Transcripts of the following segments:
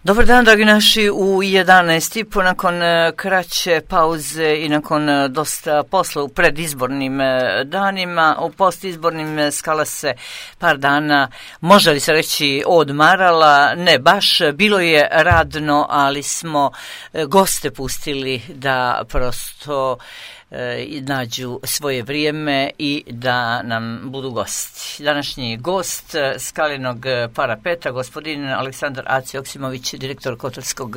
Dobar dan, dragi naši, u 11:30 nakon kraće pauze i nakon dosta posla u predizbornim danima, u postizbornim Skala se par dana, može li se reći, odmarala, ne baš, bilo je radno, ali smo goste pustili da prosto nađu svoje vrijeme i da nam budu gosti. Današnji gost Skalinog parapeta, gospodin Aleksandar Aco Joksimović, direktor Kotarskog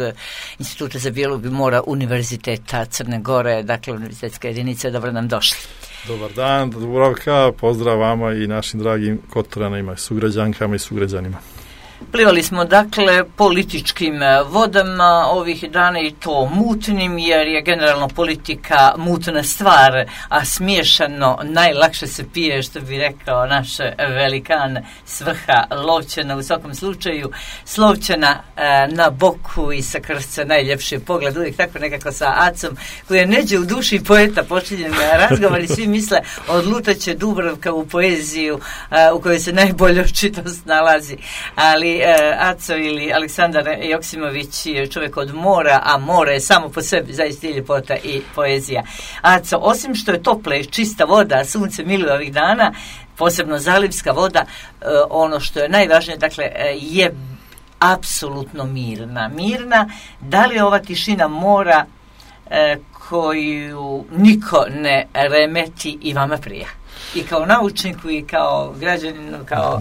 instituta za biologiju mora Univerziteta Crne Gore, dakle univerzitetska jedinica. Dobro nam došli. Dobar dan, Dubravka, pozdrav vama i našim dragim Kotoranima, sugrađankama i sugrađanima. Plivali smo dakle političkim vodama ovih dana i to mutnim, jer je generalno politika mutna stvar, a smiješano najlakše se pije, što bi rekao naš velikan Svrha Lovćena. U svakom slučaju Slovćena na boku i sa krsta najljepši pogled, uvijek tako nekako sa Acom koji je neđe u duši poeta počinjen razgovor i svi misle odlutaće Dubravka u poeziju u kojoj se najbolje očitost nalazi, ali Aco ili Aleksandar Joksimović je čovjek od mora, a more je samo po sebi zaista i ljepota i poezija. Aco, osim što je topla i čista voda, sunce miluje ovih dana, posebno zalivska voda, ono što je najvažnije, dakle, je apsolutno mirna. Da li je ova tišina mora koju niko ne remeti i vama prija? I kao naučniku i kao građaninu, kao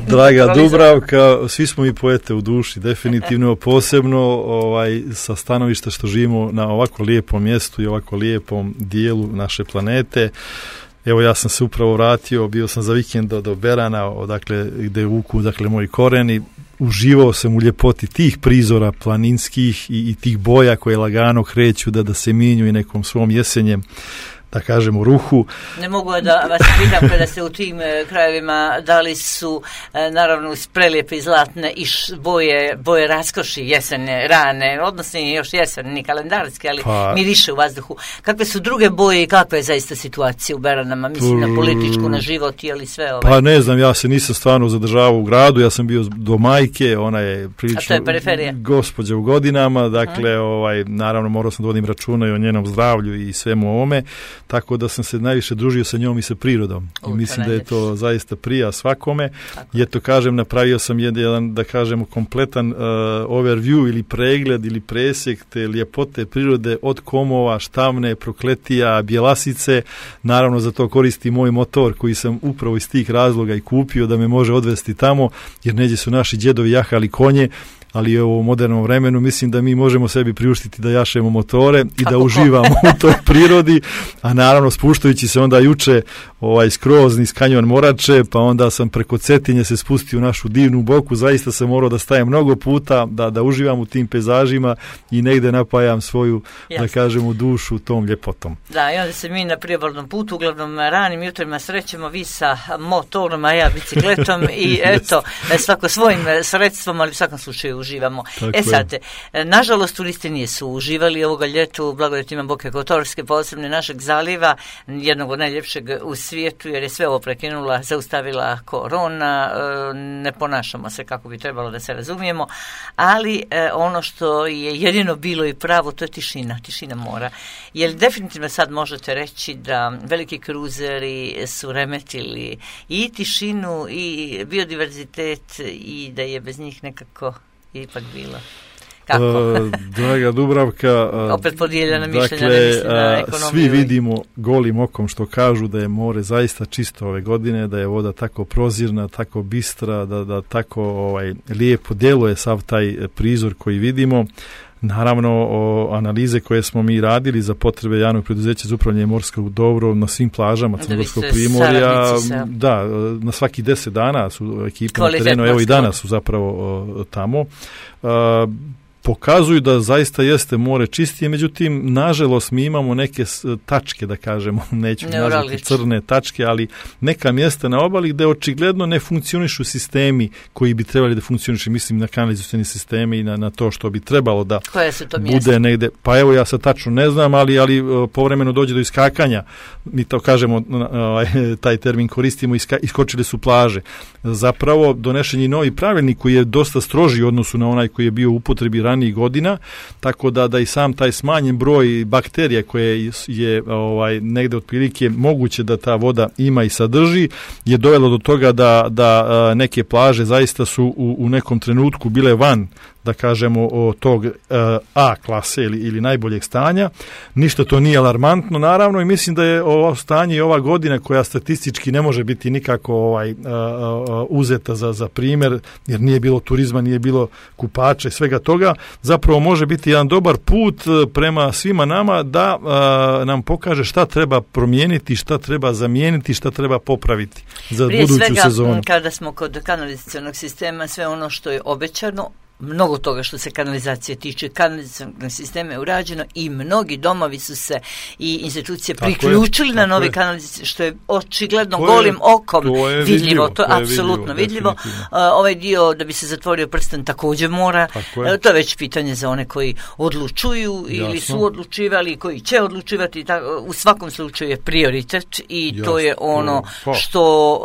draga Dubravka, svi smo mi poete u duši, definitivno, posebno sa stanovišta što živimo na ovako lijepom mjestu i ovako lijepom dijelu naše planete. Evo, ja sam se upravo vratio, bio sam za vikend do Berana, odakle gde vuku moji koreni. Uživao sam u ljepoti tih prizora planinskih i tih boja koje lagano kreću da se minju i nekom svom jesenjem, da kažem, u ruhu. Ne mogu da vas pitam, kada ste u tim krajevima, da li su naravno uz prelijepe i zlatne i boje raskoši jesene, rane, odnosno još jesen, ni kalendarski, ali miriše u vazduhu. Kakve su druge boje i kakva je zaista situacija u Beranama, mislim na političku, na život ili sve ove? Pa ne znam, ja se nisam stvarno zadržavao u gradu, ja sam bio do majke, ona je prilično gospođa u godinama, dakle, naravno morao sam da vodim računa i o njenom zdravlju i svemu ovome, tako da sam se najviše družio sa njom i sa prirodom. I mislim da je to zaista prija svakome. I eto, kažem, napravio sam jedan, da kažemo, kompletan overview ili pregled ili presjek te ljepote prirode od Komova, Štavne, Prokletija, Bjelasice. Naravno, za to koristi moj motor koji sam upravo iz tih razloga i kupio da me može odvesti tamo, jer neđe su naši djedovi jahali konje, ali u modernom vremenu mislim da mi možemo sebi priuštiti da jašemo motore i da uživamo u toj prirodi, a naravno spuštajući se onda juče skroz niz kanjon Morače, pa onda sam preko Cetinje se spustio u našu divnu boku, zaista sam morao da stajem mnogo puta, da uživam u tim pejzažima i negde napajam svoju, da kažemo, dušu tom ljepotom. Da, i onda se mi na priobalnom putu, uglavnom ranim jutrima srećemo, vi sa motorom, a ja bicikletom i eto, svako svojim sredstvom, ali u svakom slučaju uživamo. Sad, nažalost, turisti nisu uživali ovoga ljeta u blagodatima Boke Kotorske, posebno našeg zaliva, jednog od najljepšeg u svijetu, jer je sve ovo prekinula, zaustavila korona, ne ponašamo se kako bi trebalo, da se razumijemo, ali ono što je jedino bilo i pravo, to je tišina mora. Jer definitivno sad možete reći da veliki kruzeri su remetili i tišinu i biodiverzitet i da je bez njih nekako ipak bilo. Draga Dubravka, opet podijeljena mišljenja, ne mislim na ekonomiju. Svi vidimo golim okom što kažu da je more zaista čisto ove godine, da je voda tako prozirna, tako bistra, da tako lijepo djeluje sav taj prizor koji vidimo. Naravno, analize koje smo mi radili za potrebe javnog preduzeća za upravljanje morskog dobra na svim plažama Crnogorskog primorja, da, na svaki 10 dana su ekipe na terenu, evo i danas su zapravo tamo. pokazuju da zaista jeste more čistije, međutim, nažalost, mi imamo neke tačke, da kažemo, neću nazvati crne tačke, ali neka mjesta na obali gde očigledno ne funkcionišu sistemi koji bi trebali da funkcionišu, mislim na kanalizacioni sisteme i na to što bi trebalo da bude negde. Pa evo, ja sad tačno ne znam, ali povremeno dođe do iskakanja, mi to kažemo, taj termin koristimo, iskočile su plaže. Zapravo, donešen je novi pravilnik koji je dosta stroži u odnosu na onaj koji je bio u upotrebi ranijih godina, tako da i sam taj smanjen broj bakterija koje je negde otprilike moguće da ta voda ima i sadrži, je dovelo do toga da neke plaže zaista su u nekom trenutku bile van, da kažemo, o tog A klase ili najboljeg stanja. Ništa to nije alarmantno, naravno, i mislim da je ovo stanje i ova godina koja statistički ne može biti nikako uzeta za primjer, jer nije bilo turizma, nije bilo kupača i svega toga, zapravo može biti jedan dobar put prema svima nama da nam pokaže šta treba promijeniti, šta treba zamijeniti, šta treba popraviti za buduću sezonu. Prije svega, kada smo kod kanalizacionog sistema, sve ono što je obećano, mnogo toga što se kanalizacije tiče, kanalizacijnog sistema je urađeno i mnogi domovi su se i institucije priključili na novi kanalizacije, što je očigledno golim okom vidljivo. To je apsolutno vidljivo. Ovaj dio da bi se zatvorio prsten također mora. To je već pitanje za one koji odlučuju ili su odlučivali, koji će odlučivati. U svakom slučaju je prioritet i to je ono što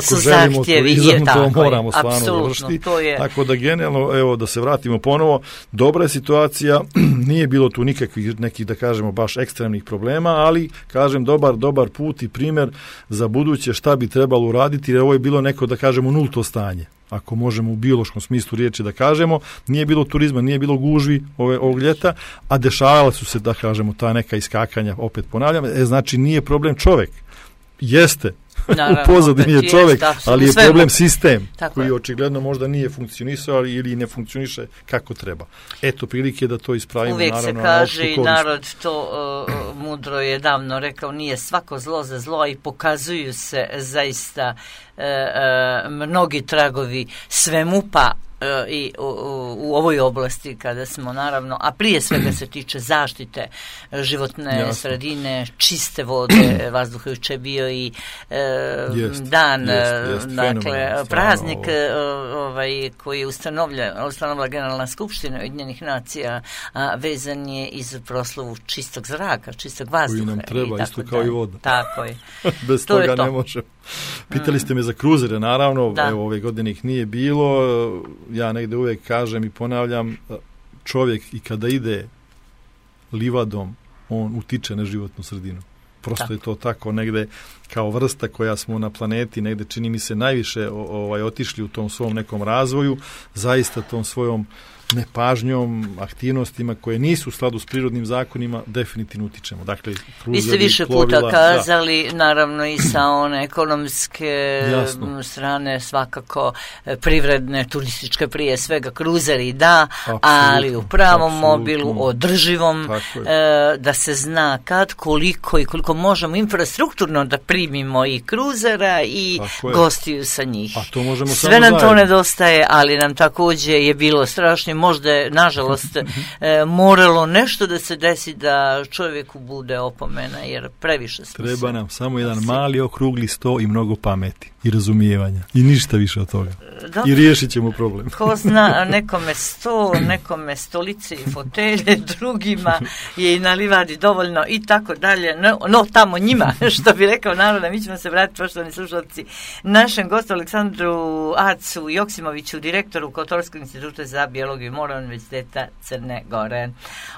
su zahtjevi. To moramo stvarno završiti. Tako da generalno, evo, da se vratimo ponovo, dobra je situacija, nije bilo tu nikakvih nekih, da kažemo, baš ekstremnih problema, ali, kažem, dobar put i primjer za buduće šta bi trebalo uraditi, jer ovo je bilo neko, da kažemo, nulto stanje. Ako možemo u biološkom smislu riječi da kažemo, nije bilo turizma, nije bilo gužvi ovog ljeta, a dešavala su se, da kažemo, ta neka iskakanja, opet ponavljam, znači nije problem čovjek. Jeste, naravno, u pozadini je čovjek, ali je problem sistem koji očigledno možda nije funkcionisao ili ne funkcioniše kako treba. Eto prilike da to ispravimo. Uvijek naravno, se kaže i narod to mudro je davno rekao, nije svako zlo za zlo, i pokazuju se zaista mnogi tragovi svemu, pa i u ovoj oblasti kada smo naravno, a prije svega se tiče zaštite životne sredine, čiste vode, vazduha. Juče bio i dan, dakle praznik koji je ustanovila Generalna skupština Ujedinjenih nacija, vezan je iz proslavu čistog zraka, čistog vazduha. Koji nam treba, isto kao i voda. Tako je. Bez toga ne može. Pitali ste me za kruzere, naravno, evo, ove godine ih nije bilo. Ja negde uvijek kažem i ponavljam, čovjek i kada ide livadom, on utiče na životnu sredinu. Prosto je to tako negde kao vrsta koja smo na planeti, negde čini mi se najviše otišli u tom svom nekom razvoju, zaista tom svojom nepažnjom, aktivnostima koje nisu u skladu s prirodnim zakonima, definitivno utičemo. Dakle, vi ste više puta kazali, naravno i sa one ekonomske strane, svakako privredne, turističke, prije svega kruzeri, ali u pravom mobilu, održivom, da se zna kad, koliko i koliko možemo infrastrukturno da primimo i kruzera i gostiju sa njih. Sve nam to nedostaje, ali nam također je bilo strašno. Možda je, nažalost, moralo nešto da se desi da čovjeku bude opomena, jer previše smo treba nam samo jedan mali okrugli sto i mnogo pameti i razumijevanja. I ništa više od toga. Dobro. I riješit ćemo problem. Ko zna, nekome sto, nekome stolice i fotelje, drugima je i na livadi dovoljno i tako dalje. No, tamo njima, što bi rekao narod, mi ćemo se vratiti, poštovani slušalci, našem gostu Aleksandru Acu Joksimoviću, direktoru Kotorskog instituta za biologiju mora Univerziteta Crne Gore.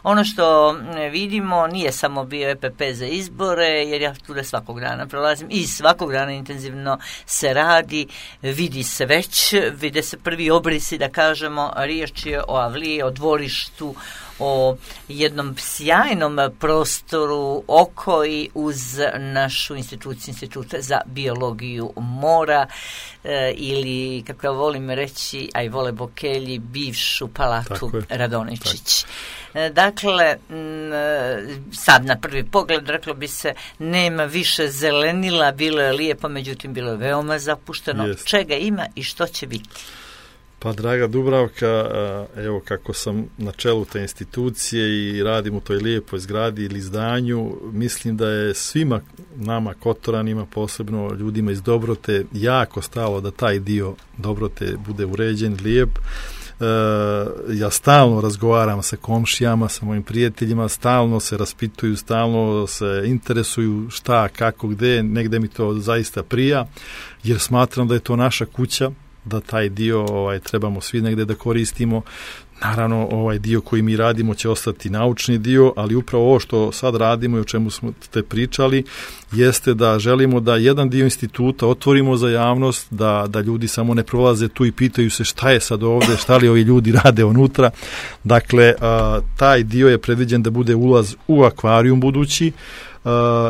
Ono što vidimo nije samo bio EPP za izbore, jer ja tu svakog dana prolazim i svakog dana intenzivno se radi, vide se prvi obrisi, da kažemo, riječ je o avliji, o dvorištu, o jednom sjajnom prostoru oko i uz našu instituciju, Instituta za biologiju mora, ili, kako ja volim reći, a i vole Bokelji, bivšu palatu Radoničić. Dakle, sad na prvi pogled reklo bi se nema više zelenila, bilo je lijepo, međutim bilo je veoma zapušteno. Čega ima i što će biti? Pa draga Dubravka, evo kako sam na čelu te institucije i radim u toj lijepoj zgradi ili zdanju, mislim da je svima nama Kotoranima, posebno ljudima iz Dobrote, jako stalo da taj dio Dobrote bude uređen, lijep. Ja stalno razgovaram sa komšijama, sa mojim prijateljima, stalno se raspituju, stalno se interesuju šta, kako, gde, negde mi to zaista prija, jer smatram da je to naša kuća, da taj dio trebamo svi negde da koristimo. Naravno, ovaj dio koji mi radimo će ostati naučni dio, ali upravo ovo što sad radimo i o čemu smo te pričali, jeste da želimo da jedan dio instituta otvorimo za javnost, da ljudi samo ne prolaze tu i pitaju se šta je sad ovde, šta li ovi ljudi rade unutra. Dakle, taj dio je predviđen da bude ulaz u akvarijum budući.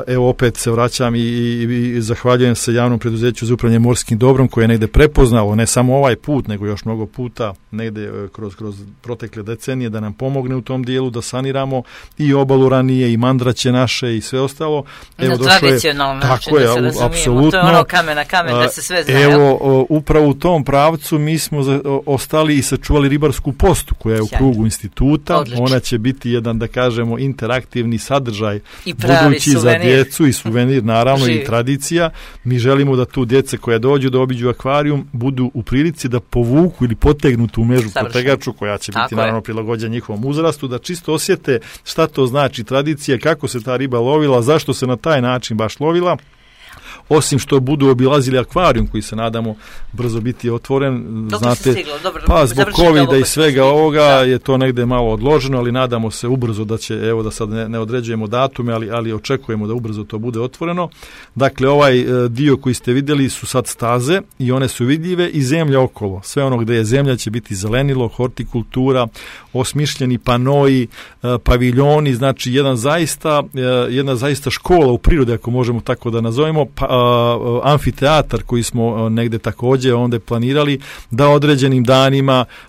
Evo opet se vraćam i zahvaljujem se javnom preduzeću za upravljanje morskim dobrom koje je negde prepoznalo, ne samo ovaj put, nego još mnogo puta negde kroz protekle decenije da nam pomogne u tom dijelu, da saniramo i obalu ranije i mandraće naše i sve ostalo. Evo, na tradicionalno način, da se razumijemo, to je ono kamen da se sve zna. Evo, upravo u tom pravcu mi smo ostali i sačuvali ribarsku postu koja je u krugu instituta. Odlično. Ona će biti jedan, da kažemo, interaktivni sadržaj budući za djecu i suvenir, naravno, i tradicija. Mi želimo da tu djece koja dođu da obiđu akvarijum budu u prilici da povuku ili potegnu tu mežu potegaču koja će biti naravno prilagođena njihovom uzrastu, da čisto osjete šta to znači tradicija, kako se ta riba lovila, zašto se na taj način baš lovila. Osim što budu obilazili akvarijum koji se nadamo brzo biti otvoren, znate, pa zbog covida i svega ovoga je to negde malo odloženo, ali nadamo se ubrzo da će, evo da sad ne određujemo datume, ali očekujemo da ubrzo to bude otvoreno. Dakle, ovaj dio koji ste vidjeli su sad staze i one su vidljive i zemlja okolo. Sve ono gde je zemlja će biti zelenilo, hortikultura, osmišljeni panoi, paviljoni, znači jedna zaista škola u prirodi, ako možemo tako da nazovemo, amfiteatar koji smo negde takođe onda planirali da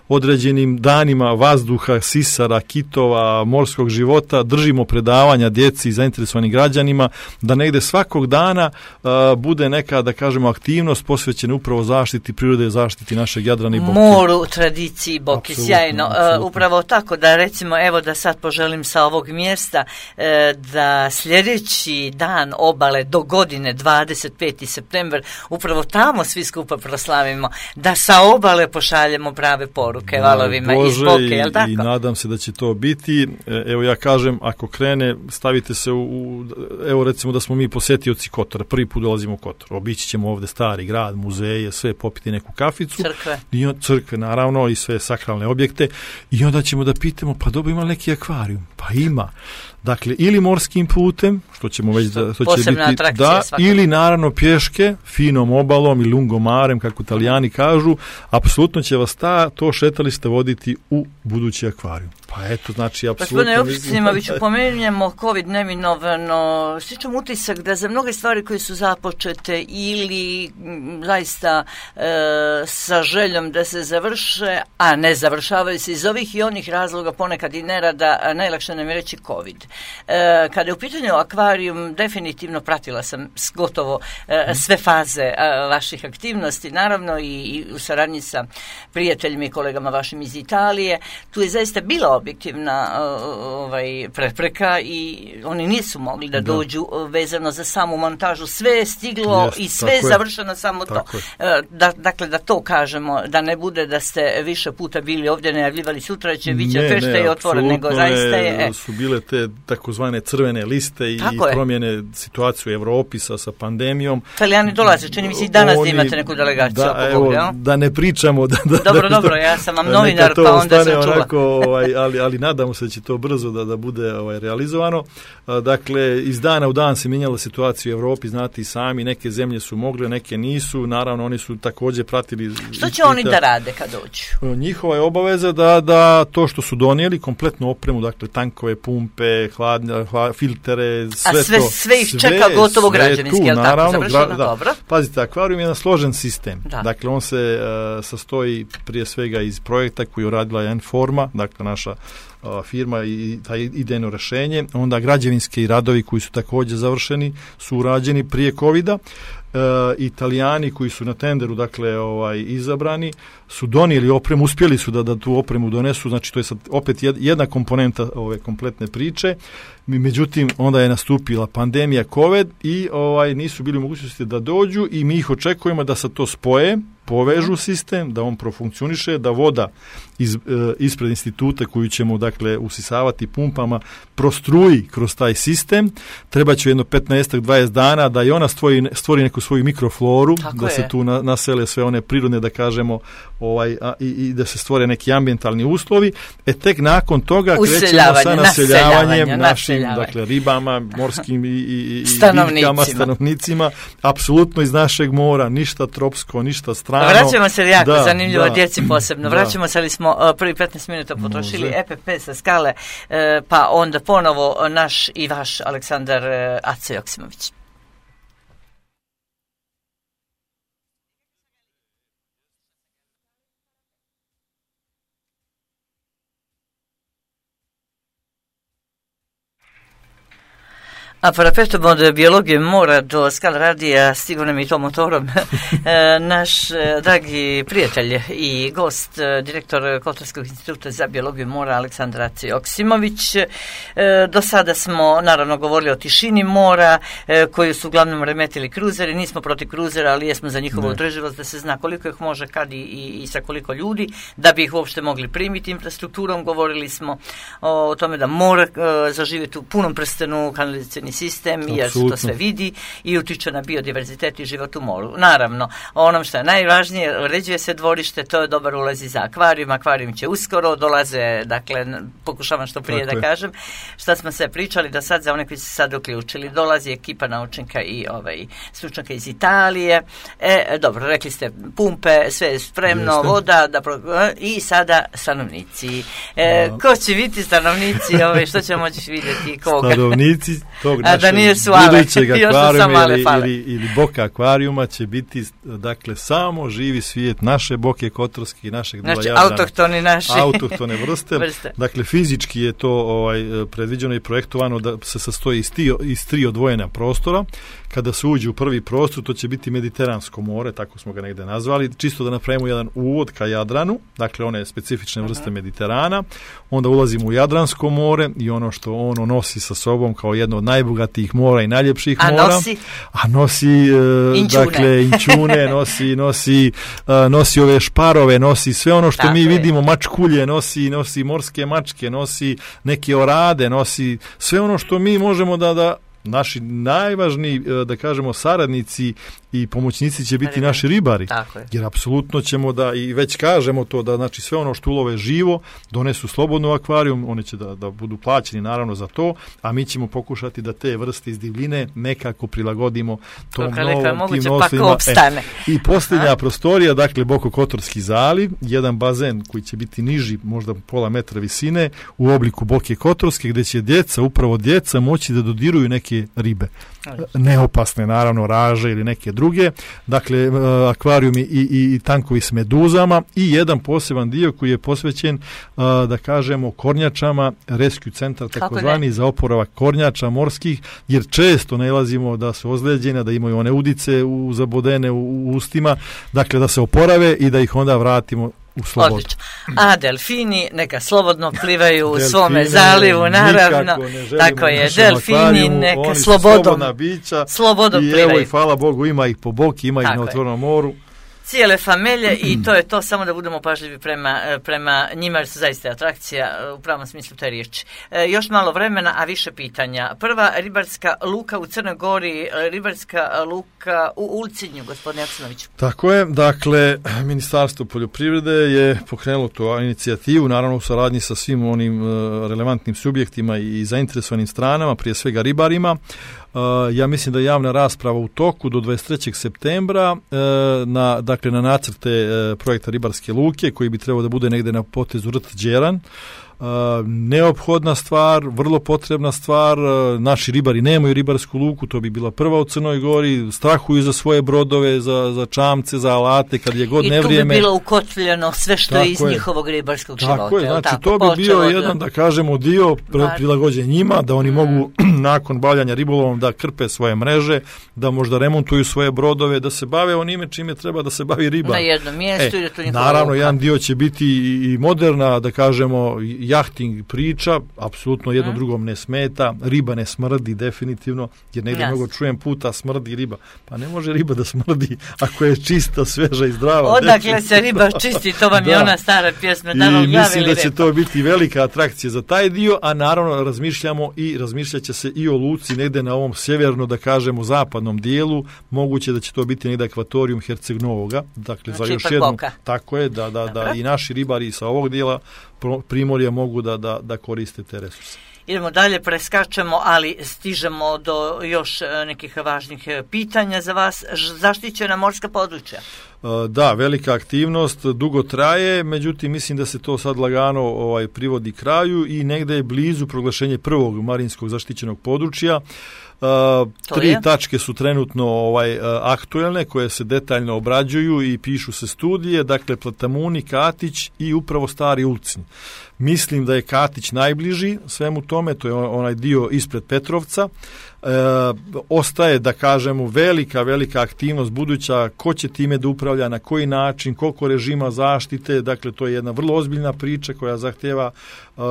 određenim danima vazduha, sisara, kitova, morskog života držimo predavanja djeci i zainteresovanim građanima, da negde svakog dana bude neka, da kažemo, aktivnost posvećena upravo zaštiti prirode, zaštiti našeg Jadrana i Boke. Moru, tradiciji Boke, sjajno. Absolutno. Upravo tako da recimo, evo da sad poželim sa ovog mjesta da sljedeći dan obale do godine 25. september, upravo tamo svi skupa proslavimo, da sa obale pošaljemo prave poruke valovima iz Boke, jel tako? I nadam se da će to biti. Evo ja kažem, ako krene, stavite se evo recimo da smo mi posjetioci Kotora, prvi put dolazimo u Kotor, obići ćemo ovde stari grad, muzeje, sve, popiti neku kaficu. Crkve, naravno, i sve sakralne objekte, i onda ćemo da pitamo, pa dobro, ima neki akvarijum? Pa ima. Dakle, ili morskim putem, što ćemo već da to će biti, da, ili naravno pješke, finom obalom i lungomarem, kako Italijani kažu, apsolutno će vas to šetalište voditi u budući akvarijum. Pa eto, znači, apsolutno... Gospodine Opštinoviću, pomenujemo COVID neminovno, sličan utisak da za mnoge stvari koje su započete ili zaista sa željom da se završe, a ne završavaju se iz ovih i onih razloga, ponekad i nerada, najlakše nam je reći COVID. Kada je u pitanju akvarijum, definitivno pratila sam gotovo sve faze vaših aktivnosti, naravno i u saradnji sa prijateljima i kolegama vašim iz Italije. Tu je zaista bila objektivna prepreka i oni nisu mogli da dođu vezano za samu montažu. Sve je stiglo i sve je završeno, samo to. Dakle, da to kažemo, da ne bude da ste više puta bili ovdje, najavljivali sutra će biće fešte i otvoren, nego zaista je... su bile te takozvane crvene liste i promjene situacije u Evropi sa pandemijom. Italijani dolaze, čini mi se i danas da imate neku delegaciju. Da ne pričamo. Dobro, ja sam vam novinar, pa onda sam čula. Onako, ali nadamo se da će to brzo da bude realizovano. Dakle, iz dana u dan se mijenjala situacija u Evropi, znate i sami, neke zemlje su mogle, neke nisu, naravno oni su također pratili... Što će oni da rade kad dođu? Njihova je obaveza da to što su donijeli, kompletnu opremu, dakle tankove, pumpe, filtere, sve ih čeka gotovo građevinski, je li tako? Završeno, dobro. Pazite, akvarijum je jedan složen sistem. Da. Dakle, on se sastoji prije svega iz projekta koji je uradila Enforma, dakle naša firma i taj idejno rešenje, onda građevinski radovi koji su također završeni su urađeni prije covida Italijani koji su na tenderu dakle izabrani su donijeli opremu, uspjeli su da tu opremu donesu, znači to je sad opet jedna komponenta ove kompletne priče. Međutim, onda je nastupila pandemija COVID i nisu bili u mogućnosti da dođu i mi ih očekujemo da se to spoje, povežu sistem, da on profunkcioniše, da voda ispred instituta koju ćemo dakle usisavati pumpama prostruji kroz taj sistem. Treba će jedno 15-20 dana da i ona stvori neku svoju mikrofloru, da se tu nasele sve one prirodne, da kažemo, i da se stvore neki ambientalni uslovi. Tek nakon toga krećemo sa naseljavanjem našim dakle ribama, morskim i biljkama, stanovnicima, apsolutno iz našeg mora, ništa tropsko, ništa strano. Vraćamo se jako zanimljivo djeci posebno. Vraćamo se, ali smo prvi 15 minuta potrošili EPP sa skale, pa onda ponovo naš i vaš Aleksandar Aco Joksimović. A parapeštom od biologije mora do Skal radija stigao nam i to motorom naš dragi prijatelj i gost, direktor Kotorskog instituta za biologiju mora Aleksandar Aco Joksimović. Do sada smo naravno govorili o tišini mora koju su uglavnom remetili kruzeri. Nismo protiv kruzera, ali jesmo za njihovu održivost, da se zna koliko ih može, kad i sa koliko ljudi, da bi ih uopšte mogli primiti infrastrukturom. Govorili smo o tome da mora zaživjeti u punom prstenu kanalizacijski sistem, jer se to sve vidi i utiče na biodiverzitet i život u moru. Naravno, onom što je najvažnije, uređuje se dvorište, to je dobar ulaz za akvarijum. Akvarijum će uskoro, dolaze, dakle, pokušavam što prije da kažem, šta smo sve pričali do sad, za one koji se sad uključili. Dolazi ekipa naučnika i stručnjaka iz Italije. Dobro, rekli ste pumpe, sve je spremno, voda, i sada stanovnici. Ko će biti stanovnici, što ćemo moći vidjeti? Koga? Stanovnici tog budućeg akvarijuma ili boka akvarijuma će biti, dakle, samo živi svijet naše boke kotorske i našeg dela Jadrana. Autohtone vrste. Dakle, fizički je to predviđeno i projektovano da se sastoji iz 3 odvojena prostora. Kada se uđe u prvi prostor, to će biti Mediteransko more, tako smo ga negde nazvali, čisto da napravimo jedan uvod ka Jadranu, dakle one specifične vrste Mediterana. Onda ulazimo u Jadransko more i ono što ono nosi sa sobom kao jedno od najbogatijih mora i najljepših mora. A nosi dakle inčune, nosi ove šparove, nosi sve ono što mi vidimo, mačkulje, nosi morske mačke, nosi neke orade, nosi sve ono što mi možemo da naši najvažniji, da kažemo, saradnici i pomoćnici će biti naši ribari. Jer apsolutno ćemo da, i već kažemo to, da znači sve ono što ulove živo donesu slobodno u akvarijum, one će da budu plaćeni naravno za to, a mi ćemo pokušati da te vrste iz divljine nekako prilagodimo tom novom, tim nosima. I posljednja prostorija, dakle Bokokotorski zaliv, jedan bazen koji će biti niži, možda pola metra visine, u obliku Boke Kotorske, gdje će upravo djeca moći da dodiruju neke ribe. Neopasne, naravno, raže ili neke druge, dakle akvarijumi i tankovi s meduzama i jedan poseban dio koji je posvećen, da kažemo, kornjačama, rescue centar takozvani za oporavak kornjača morskih, jer često nailazimo da su ozlijeđene, da imaju one udice zabodene u ustima, dakle da se oporave i da ih onda vratimo u slobodu. Odlično. A delfini neka slobodno plivaju u svome zalivu, naravno. Tako je, delfini neka slobodna bića. Slobodno plivaju. I evo, i hvala Bogu, ima ih po boki, ima ih na otvorenom moru. Cijele familije i to je to, samo da budemo pažljivi prema njima, jer su zaista atrakcija u pravom smislu te riječi. Još malo vremena, a više pitanja. Prva ribarska luka u Crnoj Gori, ribarska luka u Ulcinju, gospodine Joksimoviću. Tako je, dakle, Ministarstvo poljoprivrede je pokrenulo tu inicijativu, naravno u saradnji sa svim onim relevantnim subjektima i zainteresovanim stranama, prije svega ribarima. Ja mislim da je javna rasprava u toku do 23. septembra na nacrte projekta ribarske luke koji bi trebao da bude negde na potezu Rt Đeran. Neophodna stvar, vrlo potrebna stvar. Naši ribari nemaju ribarsku luku, to bi bila prva u Crnoj Gori, strahuju za svoje brodove, za čamce, za alate, kad je god nevrijeme. I tu bi bilo ukotljeno sve što je iz njihovog ribarskog života. Tako je, znači to bi bio jedan, da kažemo, dio prilagođen njima, da oni mogu nakon bavljanja ribolovom da krpe svoje mreže, da možda remontuju svoje brodove, da se bave onime čime treba da se bavi riba. Na jednom mjestu ili to naravno, jedan dio će biti i moderna, da kažemo, jahting priča, apsolutno jedno drugom ne smeta, riba ne smrdi definitivno, jer negdje mnogo čujem puta smrdi riba. Pa ne može riba da smrdi ako je čista, sveža i zdrava. Odakle se riba čisti, to vam je ona stara pjesma. I mislim da će to biti velika atrakcija za taj dio, a naravno razmišljat će se i o luci negde na ovom sjeverno, da kažemo, zapadnom dijelu, moguće da će to biti negde akvatorijum Herceg Novoga, dakle znači, za još jednu, tako je, da i naši ribari sa ovog dijela Primorja mogu da koriste te resurse. Idemo dalje, preskačemo, ali stižemo do još nekih važnih pitanja za vas. Zaštićena morska područja? Da, velika aktivnost, dugo traje, međutim mislim da se to sad lagano privodi kraju i negde je blizu proglašenje prvog marinskog zaštićenog područja. 3 tačke su trenutno aktuelne koje se detaljno obrađuju i pišu se studije, dakle Platamuni, Katić i upravo Stari Ulcinj. Mislim da je Katić najbliži svemu tome, to je onaj dio ispred Petrovca. Ostaje, da kažemo, velika aktivnost buduća, ko će time da upravlja, na koji način, koliko režima zaštite, dakle to je jedna vrlo ozbiljna priča koja zahtjeva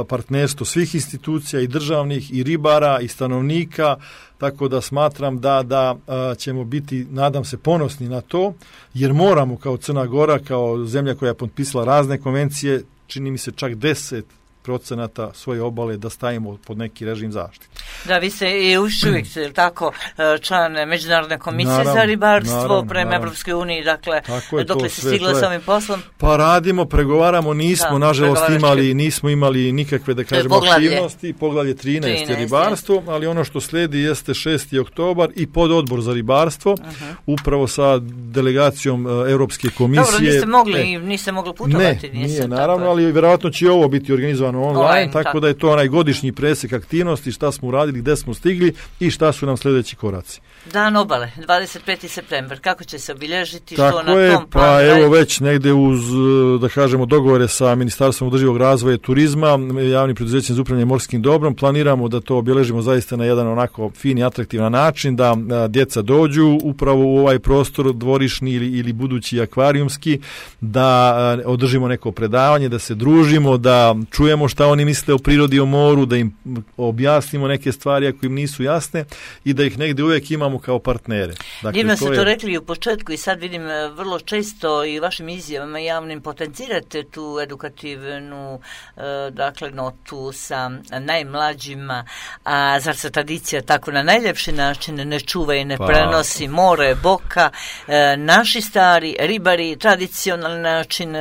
partnerstvo svih institucija i državnih i ribara i stanovnika, tako da smatram da ćemo biti, nadam se, ponosni na to, jer moramo kao Crna Gora, kao zemlja koja je potpisala razne konvencije, čini mi se čak 10% svoje obale da stavimo pod neki režim zaštite. Da, vi ste i uvijek tako član Međunarodne komisije za ribarstvo prema Evropskoj uniji, dakle, dokle se stiglo s ovim poslom? Pa radimo, pregovaramo, nažalost nismo imali nikakve, da kažemo, aktivnosti, poglavlje 13 je ribarstvo, ali ono što sledi jeste 6. oktobar i pododbor za ribarstvo, upravo sa delegacijom Europske komisije. Dobro, niste mogli putovati? Nije, naravno, ali vjerojatno će ovo biti organizovano online, tako da je to onaj godišnji presek aktivnosti, šta smo uradili, gde smo stigli i šta su nam sljedeći koraci. Dan obale, 25. september, kako će se obilježiti? Tako što je, na tom pa evo već negde uz, da kažemo, dogovore sa Ministarstvom održivog razvoja i turizma, javnim preduzećem za upravljanje morskim dobrom, planiramo da to obilježimo zaista na jedan onako fin i atraktivan način, da djeca dođu upravo u ovaj prostor dvorišni ili budući akvarijumski, da održimo neko predavanje, da se družimo, da čujemo šta oni misle o prirodi, o moru, da im objasnimo neke stvari ako im nisu jasne i da ih negdje uvijek imamo kao partnere. Dakle, divno ste to rekli u početku i sad vidim vrlo često i vašim izjavama javnim potencirate tu edukativnu notu sa najmlađima, a zar se tradicija tako na najljepši način ne čuva i ne prenosi more, boka, naši stari ribari, tradicionalni način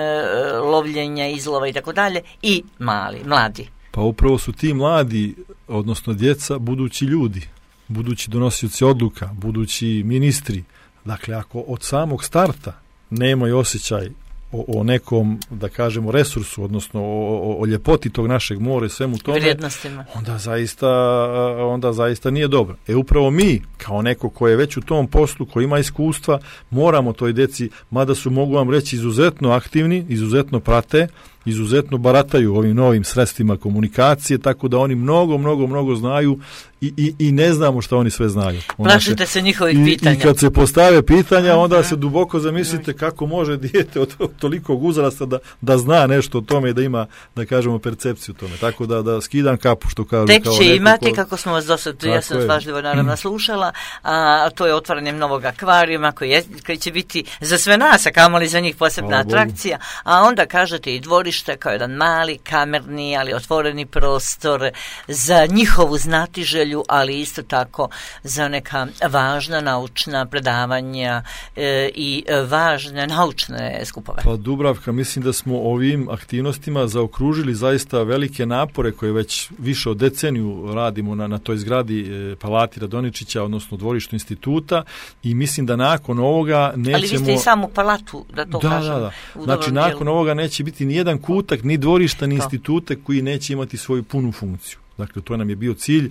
lovljenja, izlova i tako dalje i mladi. Pa upravo su ti mladi, odnosno djeca, budući ljudi, budući donosioci odluka, budući ministri. Dakle, ako od samog starta nemaju osjećaj o nekom, da kažemo, resursu, odnosno o ljepoti tog našeg mora i svemu tome, vrijednostima, onda zaista nije dobro. Upravo mi, kao neko ko je već u tom poslu, ko ima iskustva, moramo toj djeci, mada su, mogu vam reći, izuzetno aktivni, izuzetno prate, izuzetno barataju ovim novim sredstvima komunikacije, tako da oni mnogo znaju i ne znamo šta oni sve znaju. Plašite se njihovih pitanja. I kad se postave pitanja, onda se duboko zamislite kako može dijete od tolikog uzrasta da zna nešto o tome i da ima, da kažemo, percepciju o tome. Tako da skidam kapu, što kažu. Tek će imati, kako smo vas dosad, ja sam svažljivo naravno slušala, a to je otvaranjem novog akvarijuma koji će biti za sve nas, a kamoli za njih posebna atrakcija, a onda kažete i dvorište kao jedan mali, kamerni, ali otvoreni prostor za njihovu znatiželju, ali isto tako za neka važna naučna predavanja i važne naučne skupove. Pa Dubravka, mislim da smo ovim aktivnostima zaokružili zaista velike napore koje već više od deceniju radimo na toj zgradi Palati Radoničića, odnosno dvorištu instituta, i mislim da nakon ovoga nećemo... Ali vi ste i samu palatu, da to kažem. Da. Znači, nakon ovoga neće biti ni jedan kutak, ni dvorišta, ni institute koji neće imati svoju punu funkciju. Dakle, to nam je bio cilj.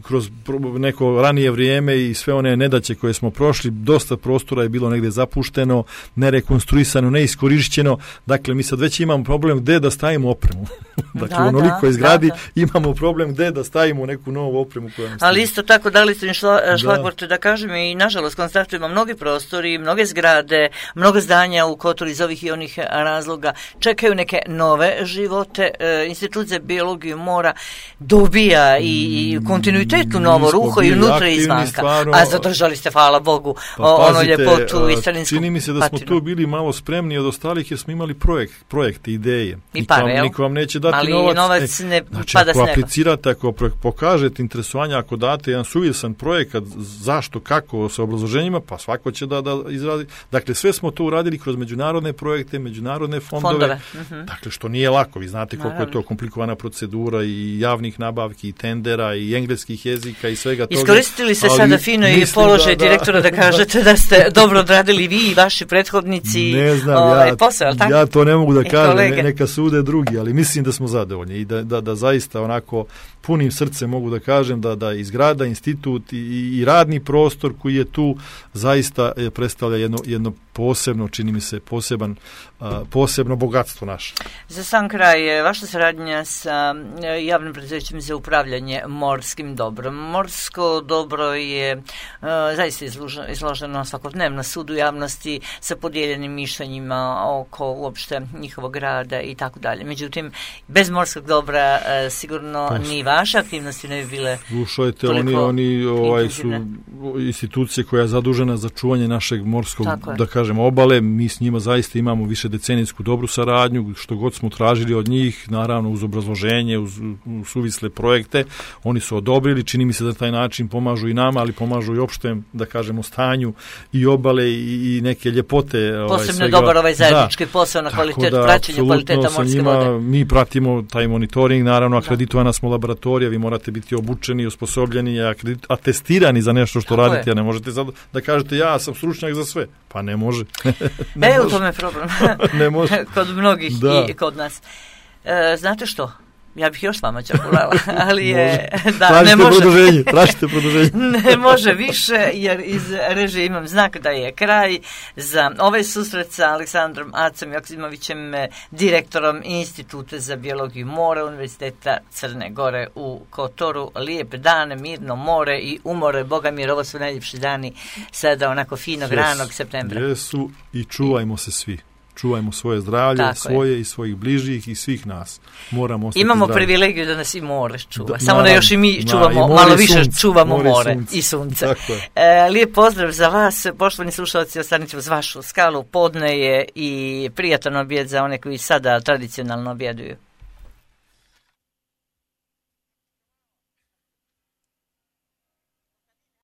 Kroz neko ranije vrijeme i sve one nedaće koje smo prošli, dosta prostora je bilo negdje zapušteno, nerekonstruisano, neiskorišćeno. Dakle, mi sad već imamo problem gdje da stavimo opremu. Dakle, onoliko izgradi, imamo problem gde da stavimo neku novu opremu koja nam ali isto tako dali ste mi šlagvort da kažem i nažalost konstatujemo mnogi prostori, mnoge zgrade, mnogo zdanja u Kotoru iz ovih i onih razloga čekaju neke nove živote. Institut za biologiju mora dobija i kontinuitetu novo ruho i unutra i izvanka. A zadržali ste, hvala Bogu, ono ljepotu i starinskog. Čini mi se da smo tu bili malo spremni od ostalih jer smo imali projekte, ideje. I pare, niko vam neće dati ali novac. Novac ne znači, pada s neba. Ako aplicirate, ako pokažete interesovanje, ako date jedan suvisan projekat, zašto, kako, sa obrazloženjima, pa svako će da izradi. Dakle, sve smo to uradili kroz međunarodne projekte, međunarodne fondove. Dakle, što nije lako. Vi znate koliko je to komplikovana procedura i javnih nabavki, i tendera, i engleskih jezika, i svega toga. Iskoristili ste sada fino i položaj direktora da kažete da ste dobro odradili vi i vaši prethodnici. Ne znam, posao, ja to ne mogu da kažem, neka sude drugi, ali mislim da smo zadovoljni i da zaista onako punim srcem mogu da kažem da i zgrada, institut i radni prostor koji je tu zaista predstavlja jedno posebno, čini mi se, posebno bogatstvo naše. Za sam kraj, vaša saradnja sa javnim preduzećem za upravljanje morskim dobrom. Morsko dobro je zaista izloženo svakodnevno sudu javnosti sa podijeljenim mišljenjima oko uopšte njihovog rada i tako dalje. Međutim, bez morskog dobra sigurno ni vaše aktivnosti ne bi bile toliko oni su institucije koja je zadužena za čuvanje našeg morskog, da kažem, obale. Mi s njima zaista imamo više decenijsku dobru saradnju, što god smo tražili od njih, naravno uz obrazloženje, uz suvisle projekte, oni su odobrili, čini mi se da taj način pomažu i nama, ali pomažu i opštem, da kažemo, stanju i obale i neke ljepote. Posebno dobar zajednički posao na praćenju kvaliteta morske vode. Mi pratimo taj monitoring, naravno akreditovana smo laboratorija, vi morate biti obučeni, osposobljeni, atestirani za nešto što radite, a ne možete sad da kažete ja sam stručnjak za sve. Pa ne može. U tome je problem. Ne može. Kod mnogih i kod nas. Znate što? Ja bih još s vama čakulala, ali je... Tražite produženje. Ne može više, jer iz režije imam znak da je kraj za ovaj susret sa Aleksandrom Acom Joksimovićem, direktorom Instituta za biologiju mora Univerziteta Crne Gore u Kotoru. Lijep dan, mirno more i umore. Boga mi, ovo su najljepši dani sada onako finog ranog septembra. Jesu i čuvajmo se svi. Čuvajmo svoje zdravlje, svoje i svojih bližih i svih nas. Moramo ostati imamo zdravi. Privilegiju da nas i more čuva. Samo da još i mi čuvamo, malo više čuvamo more i sunce. Lijep pozdrav za vas, poštovani slušalci, ostanit ćemo uz vašu skalu. Podne je i prijatan objed za one koji sada tradicionalno objeduju.